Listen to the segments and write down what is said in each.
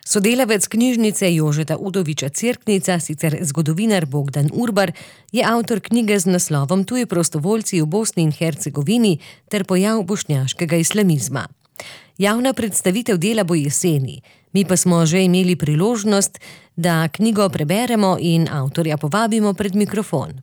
Sodelavec knjižnice Jožeta Udoviča Cerknica, sicer zgodovinar Bogdan Urbar, je avtor knjige z naslovom Tuji prostovoljci v Bosni in Hercegovini ter pojav bošnjaškega islamizma. Javna predstavitev dela bo jeseni, mi pa smo že imeli priložnost, da knjigo preberemo in avtorja povabimo pred mikrofon.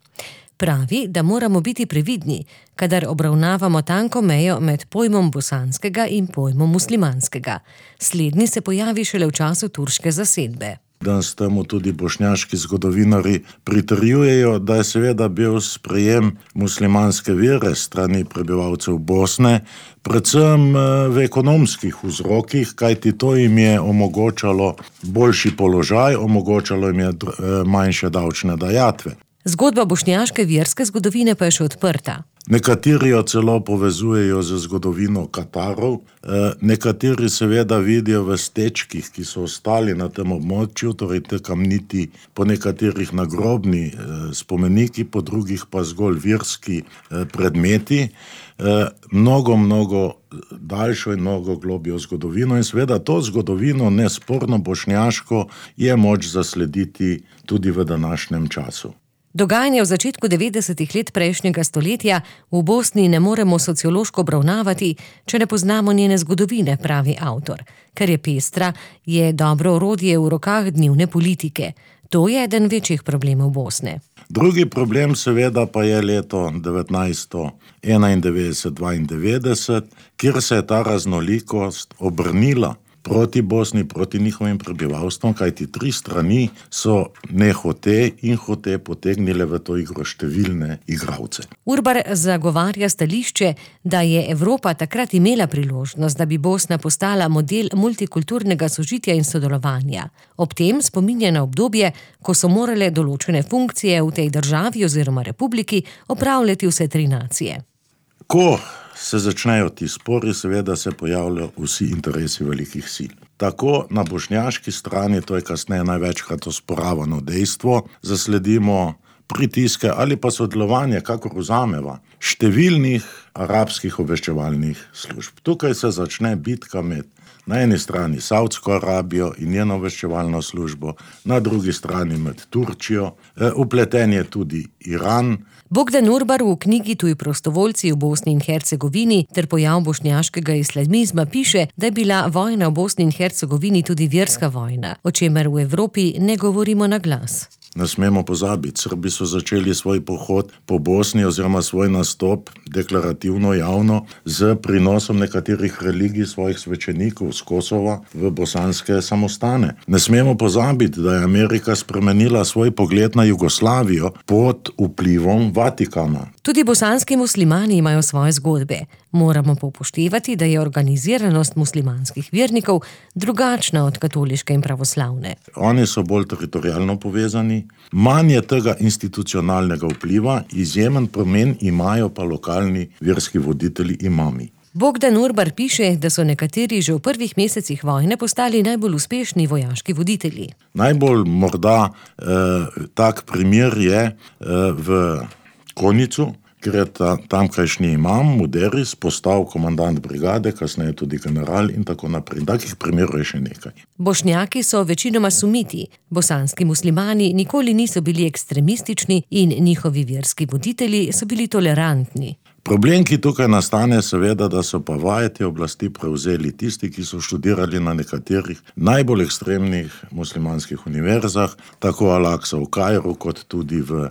Pravi, da moramo biti previdni, kadar obravnavamo tanko mejo med pojmom bosanskega in pojmom muslimanskega. Slednji se pojavi šele v času turške zasedbe. Danes temu tudi bošnjaški zgodovinari pritrjujejo, da je seveda bil sprejem muslimanske vere strani prebivalcev Bosne, predvsem v ekonomskih vzrokih, kajti to jim je omogočalo boljši položaj, omogočalo jim je manjše davčne dajatve. Zgodba bošnjaške verske zgodovine pa je še odprta. Nekateri jo celo povezujejo z zgodovino Katarov, nekateri seveda vidijo v stečkih, ki so ostali na tem območju, torej te kamniti, po nekaterih nagrobni spomeniki, po drugih pa zgolj verski predmeti, mnogo daljšo in mnogo globjo zgodovino in seveda to zgodovino, nesporno bošnjaško, je moč zaslediti tudi v današnjem času. Dogajanje v začetku 90. let prejšnjega stoletja v Bosni ne moremo sociološko obravnavati, če ne poznamo njene zgodovine, pravi avtor. Ker je pestra, je dobro orodje v rokah dnevne politike. To je eden večjih problemov Bosne. Drugi problem seveda pa je leto 1991-92, kjer se je ta raznolikost obrnila proti Bosni, proti njihovim prebivalstvom, kajti tri strani so nehote in hote potegnile v to igro številne igralce. Urbar zagovarja stališče, da je Evropa takrat imela priložnost, da bi Bosna postala model multikulturnega sožitja in sodelovanja. Ob tem spominja na obdobje, ko so morale določene funkcije v tej državi oziroma republiki opravljati vse tri nacije. Ko se začnejo ti spori, seveda se pojavljajo vsi interesi velikih sil. Tako na bošnjaški strani, to je kasneje največkrat osporavano dejstvo, zasledimo pritiske ali pa sodelovanje, kakor vzameva, številnih arabskih obveščevalnih služb. Tukaj se začne bitka med na eni strani Saudsko Arabijo in njeno obveščevalno službo, na drugi strani med Turčijo, vpleten je tudi Iran. Bogdan Urbar v knjigi Tuji prostovoljci v Bosni in Hercegovini ter pojav bošnjaškega islamizma piše, da je bila vojna v Bosni in Hercegovini tudi verska vojna, o čemer v Evropi ne govorimo na glas. Ne smemo pozabiti, Srbi so začeli svoj pohod po Bosni oziroma svoj nastop deklarativno javno z prinosom nekaterih religij svojih svečenikov z Kosova v bosanske samostane. Ne smemo pozabiti, da je Amerika spremenila svoj pogled na Jugoslavijo pod vplivom Vatikana. Tudi bosanski muslimani imajo svoje zgodbe. Moramo pa upoštevati, da je organiziranost muslimanskih vernikov drugačna od katoliške in pravoslavne. Oni so bolj teritorialno povezani, manj je tega institucionalnega vpliva, izjemen pomen imajo pa lokalni verski voditelji imami. Bogdan Urbar piše, da so nekateri že v prvih mesecih vojne postali najbolj uspešni vojaški voditelji. Najbolj morda tak primer je v Konjicu, ker je tamkajšnji imam, Muderis, postal komandant brigade, kasneje tudi general in tako naprej. Takih primerov je še nekaj. Bošnjaki so večinoma sumiti. Bosanski muslimani nikoli niso bili ekstremistični in njihovi verski voditelji so bili tolerantni. Problem, ki tukaj nastane, seveda, da so pa vajeti oblasti prevzeli tisti, ki so študirali na nekaterih najbolj ekstremnih muslimanskih univerzah, tako Al-Aqsa v Kairu, kot tudi v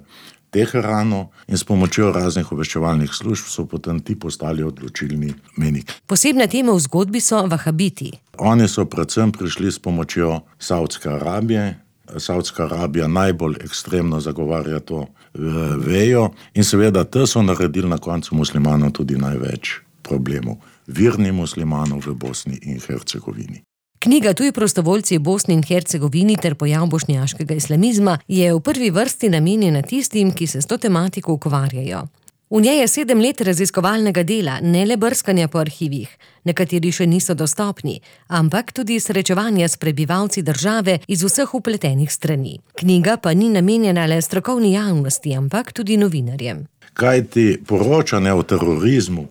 Teheranu, in s pomočjo raznih obveščevalnih služb so potem ti postali odločilni menik. Posebna tema v zgodbi so vahabiti. Oni so predvsem prišli s pomočjo Saudske Arabije. Saudska Arabija najbolj ekstremno zagovarja to vejo in seveda te so naredili na koncu muslimanov tudi največ problemov. Verni muslimanov v Bosni in Hercegovini. Knjiga Tuji prostovoljci v Bosni in Hercegovini ter pojav bošnjaškega islamizma je v prvi vrsti namenjena tistim, ki se s to tematiko ukvarjajo. V njej je 7 let raziskovalnega dela, ne le brskanja po arhivih, nekateri še niso dostopni, ampak tudi srečevanja s prebivalci države iz vseh vpletenih strani. Knjiga pa ni namenjena le strokovni javnosti, ampak tudi novinarjem. kajti poročanje o terorizmu,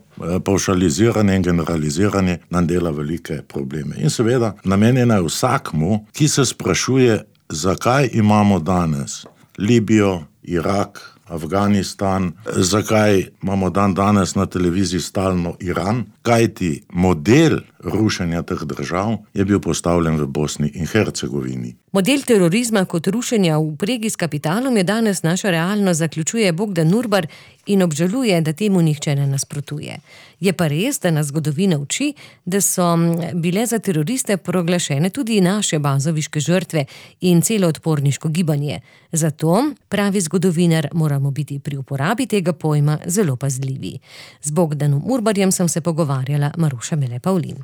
pavšaliziranje in generaliziranje nam dela velike probleme. In seveda namenjena je vsakmu, ki se sprašuje, zakaj imamo danes Libijo, Irak, Afganistan, zakaj imamo danes na televiziji stalno Iran, kajti model rušenja teh držav je bil postavljen v Bosni in Hercegovini. Model terorizma kot rušenja v vpregi s kapitalom je danes naša realnost, zaključuje Bogdan Urbar in obžaluje, da temu nihče ne nasprotuje. Je pa res, da nas zgodovina uči, da so bile za teroriste proglašene tudi naše bazoviške žrtve in celo odporniško gibanje. Zato, pravi zgodovinar, moramo biti pri uporabi tega pojma zelo pazljivi. Z Bogdanom Urbarjem sem se pogovarjala Maruša Mele Pavlin.